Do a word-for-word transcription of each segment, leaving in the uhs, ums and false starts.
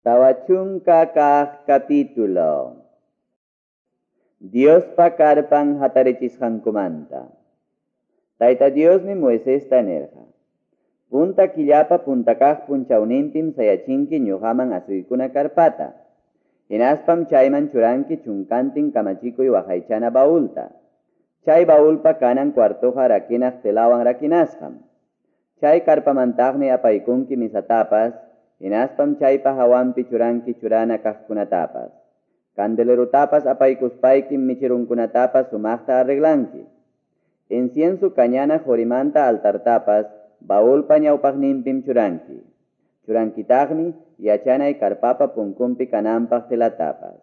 Tawa chunka kaq capítulo. Diospa karpan hatarichisqankumanta. Tayta Diosmi Moisesta nirqa: Punta killapa punta kaq punchawninpim sayachinki ñuqaman asuykuna karpata. Hinaspam chayman churanki chunkantin kamachikuy waqaychana baulta. Chay baulpa kanan cuartoqa rakinaq telawan rakinasqam. Chay karpamantaqmi apaykunki misatapas, hinaspam chaypa hawanpi churanki churana kaqkunatapas. Candelerutapas apaykuspaykim michirunkunatapas sumaqta arreglanki. Incienso kañana qorimanta altartapas baulpa ñawpaqninpim churanki. Churankitaqmi yachanay karpapa punkunpi kananpaq telatapas.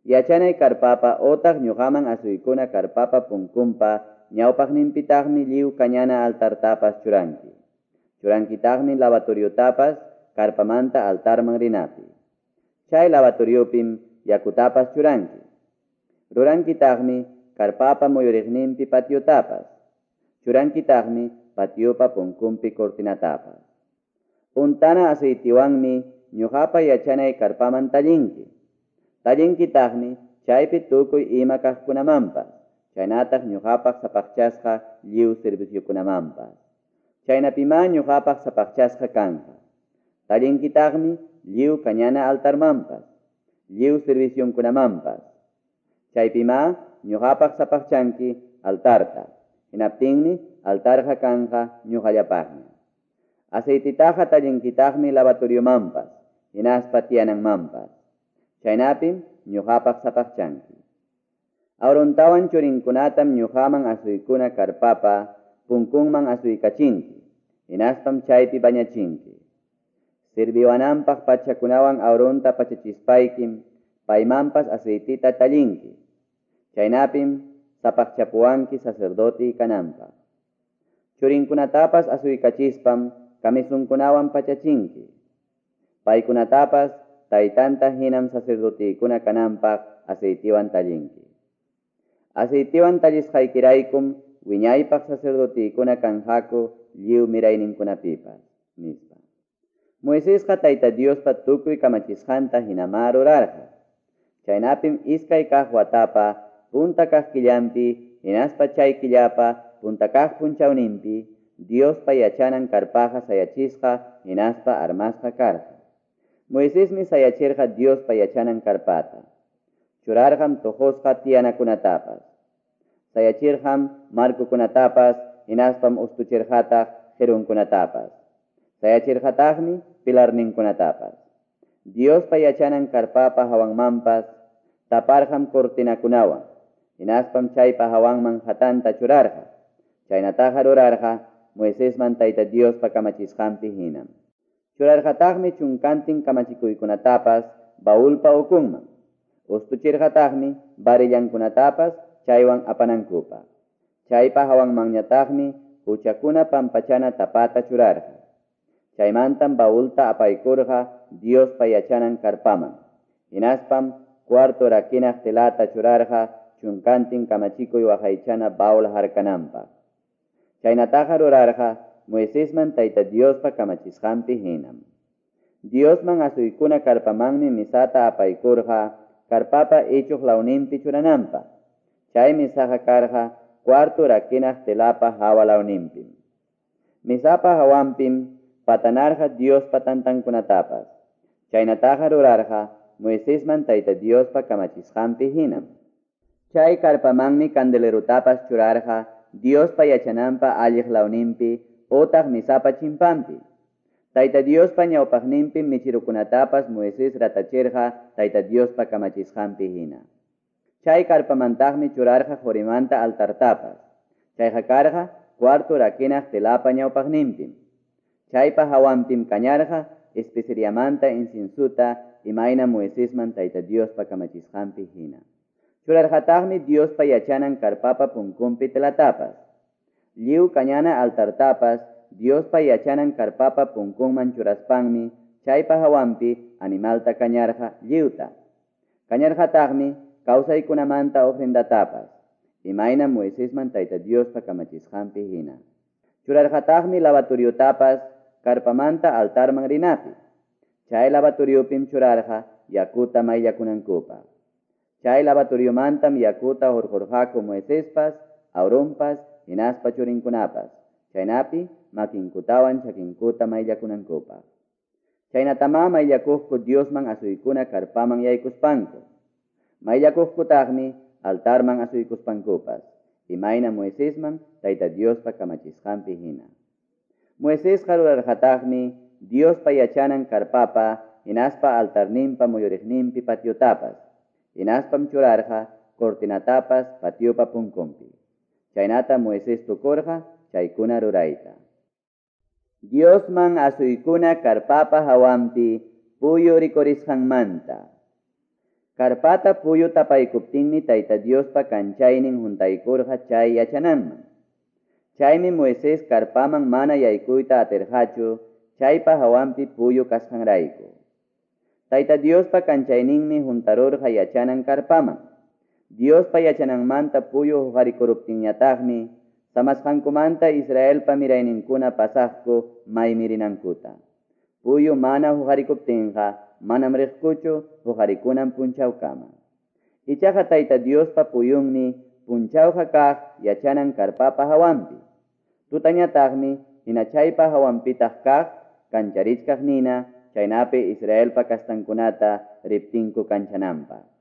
Yachanay karpapa otaq ñuqaman asuykuna karpapa punkunpa ñawpaqninpitaqmi lliw kañana altartapas churanki. Churankitaqmi lavatoriotapas karpamanta altarman rinapi. Chay lavatoriopim yakutapas churanki. Rurankitaqmi karpapa muyuriqninpi patiotapas. Churankitaqmi patiopa punkunpi cortinatapas. Untana aceitiwanmi ñuqapa yachanay karpaman tallinki. Tallinkitaqmi chaypi tukuy ima kaqkunamanpas, chaynataq ñuqapaq sapaqchasqa lliw serviciokunamanpas. Chaynapimá ñuqapaq sapaqchasqa kanqa. Tallinkitaqmi lliw kañana altarmanpas, lliw servicionkunamanpas. Chaypimá ñuqapaq sapaqchanki altarta. Hinaptinmi altarqa kanqa ñuqallapaqña. Aceititaqa tallinkitaqmi lavatoriomanpas, hinaspa tiyananmanpas. Chaynapim ñuqapaq sapaqchanki. Aarontawan churinkunatam ñuqaman asuykuna karpapa punkunman asuykachinki, hinaspam chaypi bañachinki. Sirviwananpaq pachakunawan Aaronta pachachispaykim paymanpas aceitita tallinki. Chaynapim sapaqchapuwanki sacerdote kananpaq. Churinkunatapas asuykachispam kamisunkunawan pachachinki. Paykunatapas taytanta hinam sacerdotikuna kananpaq aceitiwan tallinki. Aceitiwan tallisqaykiraykum wiñaypaq sacerdotikuna kanqaku lliw mirayninkunapipas, nispa. Moisesqa Tayta Diospa tukuy kamachisqanta hinamá rurarqa. Chaynapim iskay kaq watapa punta kaq killanpi hinaspa chay killapa punta kaq punchawninpi Diospa yachanan karpaqa sayachisqa hinaspa armasqa karqa. Moisesmi sayachirqa Diospa yachanan karpata. Churarqam tojosqa tiyanakunatapas. Sayachirqam markukunatapas hinaspam ustuchirqataq qirunkunatapas. Sayachirqataqmi pilarninkunatapas. Diospa yachanan karpapa hawanmanpas taparqam cortinakunawan. Hinaspam chaypa hawanman hatanta churarqa. Chaynataqa rurarqa Moisesman Tayta Diospa kamachisqanpi hinam. Churarqataqmi chunkantin kamachikuykunatapas baulpa ukunman. Ustuchirqataqmi varillankunatapas chaywan apanankupaq. Chaypa hawanmanñataqmi huchakuna pampachana tapata churarqa. Chaymantam baulta apaykurqa Diospa yachanan karpaman. Hinaspam cuarto rakinaq telata churarqa chunkantin kamachikuy waqaychana baul harkananpaq. Chaynataqa rurarqa Moisesman Tayta Diospa kamachisqanpi hinam. Diosman asuykuna karpamanmi misata apaykurqa karpapa ichuq lawninpi churananpaq. Chay misaqa karqa cuarto rakinaq telapa hawa lawninpim. Misapa hawanpim patanarqa Diospa tantankunatapas. Chaynataqa rurarqa Moisesman Tayta Diospa kamachisqanpi hinam. Chay karpamanmi candelerutapas churarqa Diospa yachananpa alliq lawninpi otaq misapa chimpanpi. Tayta Diospa ñawpaqninpi michirukunatapas Moisés ratachirqa Tayta Diospa kamachisqanpi hina. Chay karpamantaqmi churarqa qorimanta altartapas. Chayqa karqa cuarto rakinaq telapa ñawpaqninpim. Chaypa hawanpim kañarqa especeriamanta inciensuta imayna Moisesman Tayta Diospa kamachisqanpi hina. Churarqataqmi Diospa yachanan karpapa punkunpi telatapas. Lliw kañana altartapas Diospa yachanan karpapa punkunman churaspanmi chaypa hawanpi animalta kañarqa lliwta. Kañarqataqmi kawsaykunamanta ofrendatapas, imayna Moisesman Tayta Diospa kamachisqanpi hina. Churarqataqmi lavatoriotapas karpamanta altarman rinapi. Chay lavatoriopim churarqa yakuta mayllakunankupaq. Chay lavatoriomantam yakuta hurqurqaku Moisespas, Aaronpas hinaspa churinkunapas, chaynapi makinkutawan chakinkuta mayllakunankupaq. Chaynatamá mayllakuqku Diosman asuykuna karpaman yaykuspanku. Mayllakuqkutaqmi altarman asuykuspankupas, imayna Moisesman Tayta Diospa kamachisqanpi hina. Moisesqa rurarqataqmi Diospa yachanan karpapa hinaspa altarninpa muyuriqninpi patiotapas, hinaspam churarqa cortinatapas patiopa punkunpi. Chaynata Moisés tukurqa chaykuna rurayta. Diosman asuykuna karpapa hawanpi puyu rikurisqanmanta. Karpata puyu tapaykuptinmi Tayta Diospa kanchaynin huntaykurqa chay yachananman. Chaymi Moisés karpaman mana yaykuyta atirqachu chaypa hawanpi puyu kasqanrayku. Tayta Diospa kanchayninmi huntarurqa yachanan karpaman. Diospa yachananmanta puyu huqarikuruptinñataqmi samasqankumanta Israelpa mirayninkuna pasaqku maymi rinankuta. Puyu mana huqarikuptinqa manam riqkuchu huqarikunan punchawkama. Ichaqa Tayta Diospa puyunmi punchawqa kaq yachanan karpapa hawanpi. Tutañataqmi hina chaypa hawanpitaq kaq kancharichkaq nina chaynapi Israelpa kastankunata riptinku kanchananpaq.